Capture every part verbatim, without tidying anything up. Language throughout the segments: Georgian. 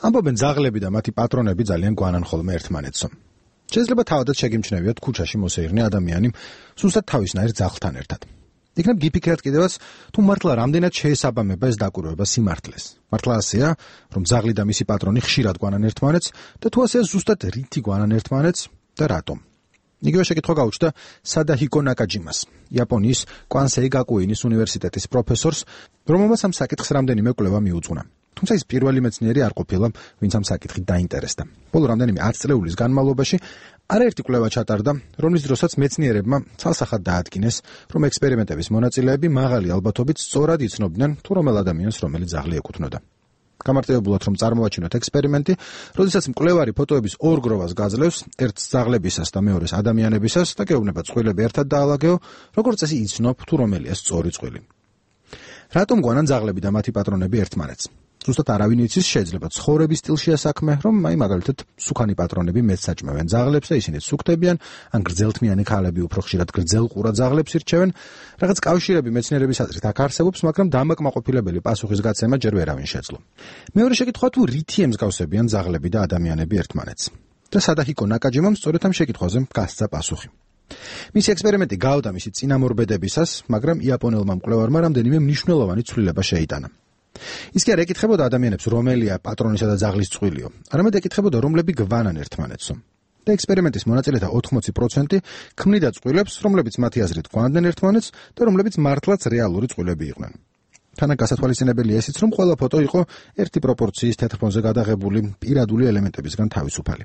ამბობენ ძაღლები და მათი პატრონები ძალიან გვანან ხოლმე ერთმანეთსო. შეიძლება თავადაც შეგიმჩნევიათ ქუჩაში მოსეირნე ადამიანი სუსტად თავისნაირ ძაღლთან ერთად. იქნებ გიფიქრეთ კიდევაც, თუ მართლა რამდენად შეესაბამება ეს დაკვირვება სიმართლეს. მართლა ასეა, რომ ძაღლი და მისი პატრონი ხშირად გვანან ერთმანეთს და თუ ასეა ზუსტად რითი გვანან ერთმანეთს და რატომ. იგივე შეკითხვა გაუჩნდა სადაჰიკო ნაკაჯიმას, იაპონიის კვანსეი გაკუინის უნივერსიტეტის პროფესორს, რომელმაც ამ საკითხს რამდენიმე კვლევა მიუძღვნა. თუმცა ის პირველი მეცნიერი არ ყოფილა, ვინც ამ საკითხით დაინტერესდა. ბოლო რამდენიმე ათწლეულის განმავლობაში არაერთი კვლევა ჩატარდა, რომლის დროსაც მეცნიერებმა ცალსახად დაადგინეს, რომ ექსპერიმენტების მონაწილეები მაღალი ალბათობით სწორად იცნობდნენ, თუ რომელ ადამიანს რომელი ძაღლი ეკუთვნოდა. გამარტივებულად რომ წარმოვაჩინოთ ექსპერიმენტი, როდესაც მკვლევარი ფოტოების ორ გროვას გაძლევს, ერთს ძაღლებისას და მეორეს ადამიანებისას და გეუბნება წყვილები ერთად დაალაგეო, როგორც წესი იცნობ, თუ რომელია სწორი წყვილი. რატომ გვანან ძაღლები და მათი პატრონები ერთმანეთს? ზუსტად არავინ იცის, შეიძლება ცხოვრების სტილშია საქმე, რომ აი მაგალითად სუქანი პატრონები მეც საჭმევენ ძაღლებს და ისინი სუქდებიან, ან გრძელთმიანი ქალები უფრო ხშირად გრძელყურა ძაღლებს ირჩევენ. რაღაც კავშირები მეცნიერების აზრით აქ არსებობს, მაგრამ დამაკმაყოფილებელი პასუხისგაცემა ჯერ ვერავინ შეძლო. მეორე შეკითხვა, თუ რითი ემსგავსებიან ძაღლები და ადამიანები ერთმანეთს? და სადაჰიკო ნაკაჯიმამ სწორედ ამ შეკითხვაზე გასცა პასუხი. მისი ექსპერიმენტი გაუდა მისი წინამორბედებისას, მაგრამ იაპონელმა მკვლევარმა რამდენიმე მნიშვნელოვანი ცვლილება შეიტანა. ის კი არ ეკითხებოდა ადამიანებს, რომელია პატრონისა და ძაღლის წყვილიო, არამედ ეკითხებოდა, რომლები გვანან ერთმანეთსო. და ექსპერიმენტის მონაწილეთა ოთხმოცი პროცენტი ქმნიდა წყვილებს, რომლებიც მათი აზრით გვანდნენ ერთმანეთს და რომლებიც მართლაც რეალური წყვილები იყვნენ. თანაც გასათვალისწინებელია ისიც, რომ ყველა ფოტო იყო ერთი პროპორციის თეთრფონზე გადაღებული პირადული ელემენტებისგან თავისუფალი.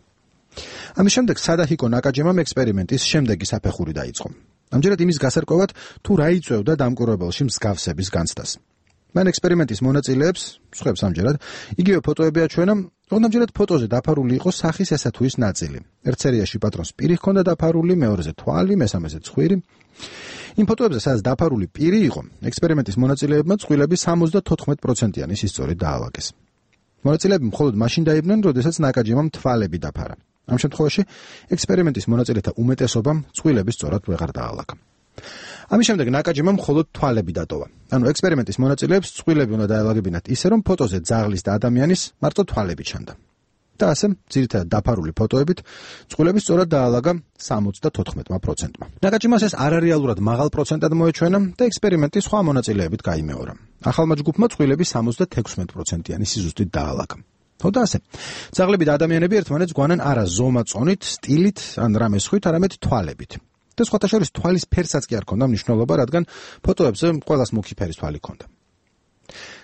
ამის შემდეგ სადაჰიკო ნაკაჯიმამ ექსპერიმენტის შემდეგი საფეხური დაიწყო. ამჯერად იმის გასარკვევად, თუ რა იწვევდა დამკვირვებელში მსგავსების განცდას. მან ექსპერიმენტის მონაწილეებს, სხვებს ამჯერად, იგივე ფოტოები აჩვენა, თუმცა ამჯერად ფოტოზე დაფარული იყო სახის ესა თუ ის ნაწილი. ერთ სერიაში პატრონს პირი ჰქონდა დაფარული, მეორეზე თვალი, მესამეზე ცხვირი. იმ ფოტოებზე, სადაც დაფარული პირი იყო, ექსპერიმენტის მონაწილეებმა წყვილები სამოცდათოთხმეტ პროცენტიანი სისწორით დაალაგეს. მონაწილეები მხოლოდ მაშინ დაიბნენ, როდესაც ნაკაჯიმამ თვალები დაფარა. ამ შემთხვევაში ექსპერიმენტის მონაწილეთა უმეტესობამ წყვილები სწორად ვეღარ დაალაგა. ამის შემდეგ ნაკაჯიმამ მხოლოდ თვალები დატოვა. ანუ ექსპერიმენტის მონაწილეებს წყვილები უნდა დაელაგებინათ ისე, რომ ფოტოზე ძაღლის და ადამიანის მარტო თვალები ჩანდა. და ასე, ძირითადად დაფარული ფოტოებით, წყვილები სწორად დაალაგა სამოცდათოთხმეტმა პროცენტმა. ნაკაჯიმას ეს არარეალურად მაღალ პროცენტად მოეჩვენა და ექსპერიმენტი სხვა მონაწილეებით გაიმეორა. ახალმა ჯგუფმა წყვილები სამოცდათექვსმეტ პროცენტიანი სიზუსტით დაალაგა. თუმცა ასე, ძაღლები და ადამიანები ერთმანეთს გვანან არა ზომა-წონით, სტილით ან რამე სხვით, არამედ თვალებით. და სხვათა შორის თვალის ფერსაც კი არ ქონდა მნიშვნელობა, რადგან ფოტოებზე ყველას მუქი ფერის თვალი ქონდა.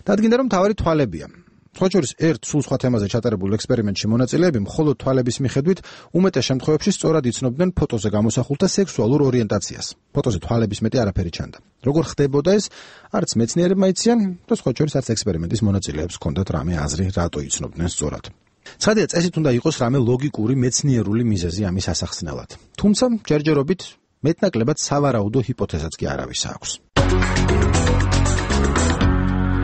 დადგინდა, რომ თავარი თვალებია. სხვა შორის ერთ სულ სხვა თემაზე ჩატარებულ ექსპერიმენტში მონაწილეები მხოლოდ თვალების მიხედვით უმეტეს შემთხვევებში სწორად იცნობდნენ ფოტოზე გამოსახულთა სექსუალურ ორიენტაციას. ფოტოზე თვალების მეტი არაფერი ჩანდა. როგორ ხდებოდა ეს, არც მეცნიერებმა იციან და სხვა შორის არც ექსპერიმენტის მონაწილეებს ჰქონდათ რამე აზრი, რატო იცნობდნენ სწორად. ცხადია, წესით უნდა იყოს რამე ლოგიკური მეცნიერული მიზეზი ამის ასახსნელად. თუმცა ჯერჯერობით მეტნაკლებად სავარაუდო ჰიპოთეზაც კი არავის აქვს.